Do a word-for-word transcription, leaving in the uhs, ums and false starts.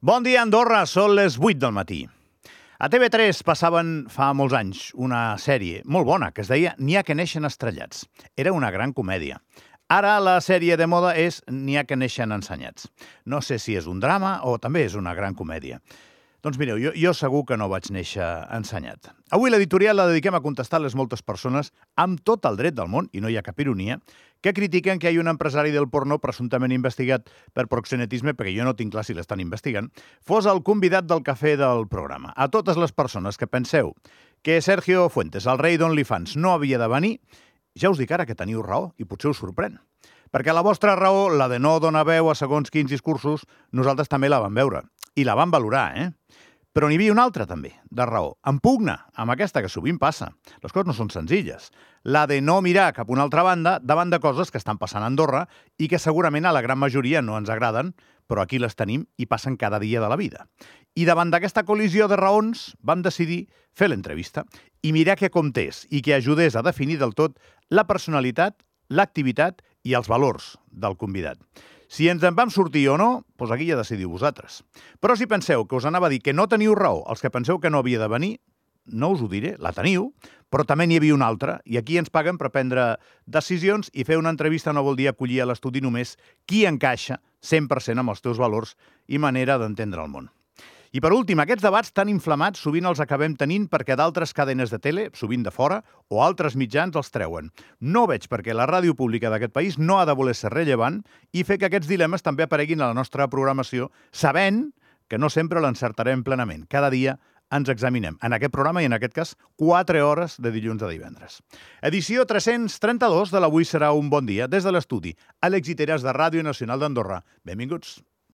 Bon dia, Andorra, són les vuit del matí. A T V tres passaven fa molts anys una sèrie molt bona que es deia N'hi ha que neixen estrellats. Era una gran comèdia. Ara la sèrie de moda és N'hi ha que neixen ensenyats. No sé si és un drama o també és una gran comèdia. Doncs mireu, jo, jo segur que no vaig néixer ensenyat. Avui l'editorial la dediquem a contestar les moltes persones amb tot el dret del món, i no hi ha cap ironia, que critiquen que hi ha un empresari del porno presumptament investigat per proxenetisme, perquè jo no tinc clar si l'estan investigant, fos el convidat del cafè del programa. A totes les persones que penseu que Sergio Fuentes, el rei d'OnlyFans, no havia de venir, ja us dic ara que teniu raó i potser us sorprèn. Perquè la vostra raó, la de no donar veu a segons quins discursos, nosaltres també la vam veure. I la vam valorar, eh? Però n'hi havia una altra, també, de raó. En pugna, amb aquesta que sovint passa. Les coses no són senzilles. La de no mirar cap a una altra banda davant de coses que estan passant a Andorra i que segurament a la gran majoria no ens agraden, però aquí les tenim i passen cada dia de la vida. I davant d'aquesta col·lisió de raons vam decidir fer l'entrevista i mirar què comptés i que ajudés a definir del tot la personalitat, l'activitat i els valors del convidat. Si ens en vam sortir o no, doncs aquí ja decidiu vosaltres. Però si penseu que us anava a dir que no teniu raó, els que penseu que no havia de venir, no us ho diré, la teniu, però també n'hi havia una altra, i aquí ens paguen per prendre decisions i fer una entrevista no vol dir acollir a l'estudi només qui encaixa cent per cent amb els teus valors i manera d'entendre el món. I per últim, aquests debats tan inflamats sovint els acabem tenint perquè d'altres cadenes de tele, sovint de fora, o altres mitjans els treuen. No veig perquè la ràdio pública d'aquest país no ha de voler ser rellevant i fer que aquests dilemes també apareguin a la nostra programació, sabent que no sempre l'encertarem plenament. Cada dia ens examinem, en aquest programa i en aquest cas, quatre hores de dilluns a divendres. Edició tres-cents trenta-dos de l'Avui serà un bon dia, des de l'estudi, a l'Exiteres de Ràdio Nacional d'Andorra. Benvinguts.